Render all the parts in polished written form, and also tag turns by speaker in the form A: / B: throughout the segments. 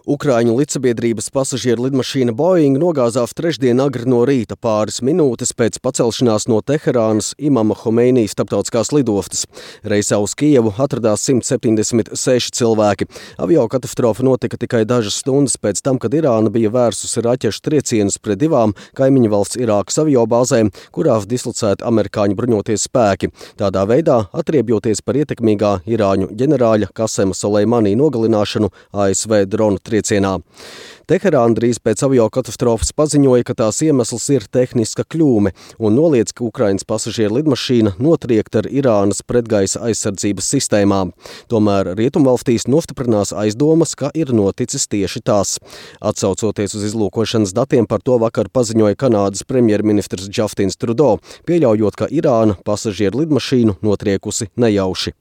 A: Ukraiņu lidsabiedrības pasažieru lidmašīna Boeing nogāzās trešdien agri no rīta pāris minūtes pēc pacelšanās no Teherānas Imama Homeinī starptautiskās lidostas. Reisā uz Kijevu atradās 176 cilvēki. Aviokatastrofa notika tikai dažas stundas pēc tam, kad Irāna bija vērsusi raķešu triecienus pret divām kaimiņu valsts Irākas aviobāzēm, kurās dislocēti amerikāņu bruņoties spēki. Tādā veidā atriebjoties par ietekmīgā irāņu ģenerāļa Kasema Soleimani nogalināšanu ASV dronu triecienā. Teherāna drīz pēc aviokatastrofas paziņoja, ka tās iemesls ir tehniska kļūme un noliedz, ka Ukrainas pasažieru lidmašīna notriekta ar Irānas pretgaisa aizsardzības sistēmām. Tomēr rietumvalstīs nostiprinās aizdomas, ka ir noticis tieši tās. Atsaucoties uz izlūkošanas datiem, par to vakar paziņoja Kanādas premjerministrs Justins Trudeau, pieļaujot, ka Irāna pasažieru lidmašīnu notriekusi nejauši.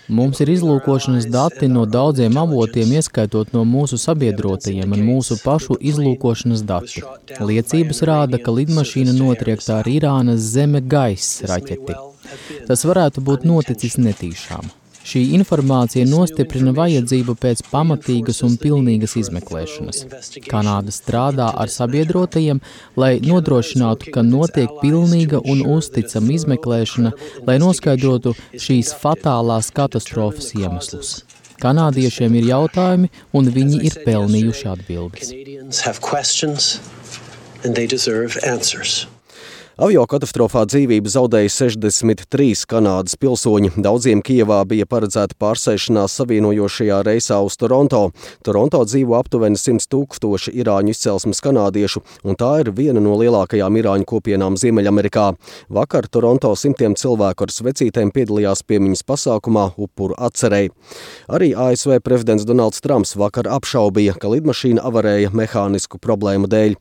B: Mums ir izlūkošanas dati no daudziem avotiem, ieskaitot no mūsu sabiedrotajiem un mūsu pašu izlūkošanas dati. Liecības rāda, ka lidmašīna notriekta ar Irānas zeme-gaisa raķeti. Tas varētu būt noticis netīšām. Šī informācija nostiprina vajadzību pēc pamatīgas un pilnīgas izmeklēšanas. Kanāda strādā ar sabiedrotajiem, lai nodrošinātu, ka notiek pilnīga un uzticama izmeklēšana, lai noskaidrotu šīs fatālās katastrofas iemeslus. Kanādiešiem ir jautājumi, un viņi ir pelnījuši atbildes.
A: Aviokatastrofā dzīvību zaudēja 63 Kanādas pilsoņi. Daudziem Kijevā bija paredzēta pārsēšanās savienojošajā reisā uz Toronto. Toronto dzīvo aptuveni 100 000 irāņu izcelsmes kanādiešu, un tā ir viena no lielākajām irāņu kopienām Ziemeļamerikā. Vakar Toronto simtiem cilvēku ar svecītēm piedalījās piemiņas pasākumā upuru atcerei. Arī ASV prezidents Donalds Trumps vakar apšaubīja, ka lidmašīna avarēja mehānisku problēmu dēļ.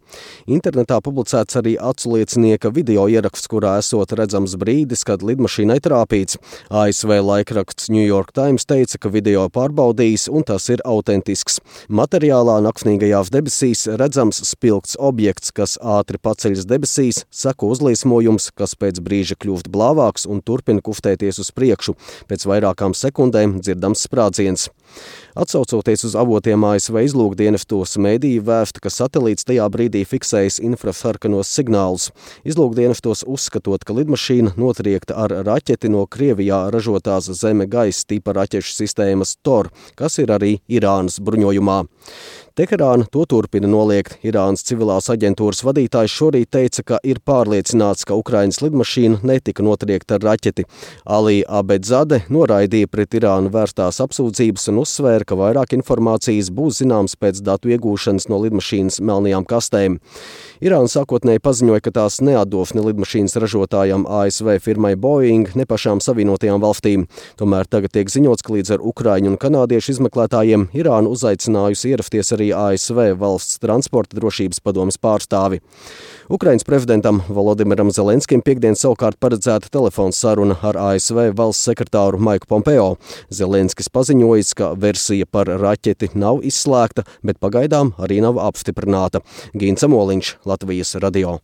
A: Internetā publicēts arī aculiecinieka video ieraksts, kurā esot redzams brīdis, kad lidmašīnai trāpīts. ASV laikraksts New York Times teica, ka video pārbaudījis un tas ir autentisks. Materiālā naktsnīgajās debesīs redzams spilgts objekts, kas ātri paceļas debesīs, seko uzliesmojums, kas pēc brīža kļūst blāvāks un turpina kustēties uz priekšu. Pēc vairākām sekundēm dzirdams sprādziens. Atsaucoties uz avotiem ASV izlūkdienestos, mediji vēsta, ka satelīts tajā brīdī fiksējas infrasarkanos signālus. Izlūkdienestos uzskatot, ka lidmašīna notriekta ar raķeti no Krievijā ražotās zeme-gaisa tipa raķešu sistēmas TOR, kas ir arī Irānas bruņojumā. Teherāna to turpina noliegt. Irānas civilās aģentūras vadītājs šorīt teica, ka ir pārliecināts, ka Ukrainas lidmašīna netika notriekta ar raķeti. Ali Abedzade noraidīja pret Irānu vērstās apsūdzības un uzsvēra, ka vairāk informācijas būs zināms pēc datu iegūšanas no lidmašīnas melnajām kastēm. Irāna sākotnēji paziņoja, ka tās neatdos ne lidmašīnas ražotājam ASV firmai Boeing, ne pašām Savienotajām valstīm. Tomēr tagad tiek ziņots, ka līdz ar ukraiņu un kanādiešu izmeklētājiem Irāna uzaicinājusi ierasties arī ASV valsts transporta drošības padomes pārstāvi. Ukrainas prezidentam Volodimiram Zelenskim piekdien savukārt paredzēta telefona saruna ar ASV valsts sekretāru Maiku Pompeo. Zelenskis paziņojis, ka versija par raķeti nav izslēgta, bet pagaidām arī nav apstiprināta. Gīns Amoliņš, Latvijas radio.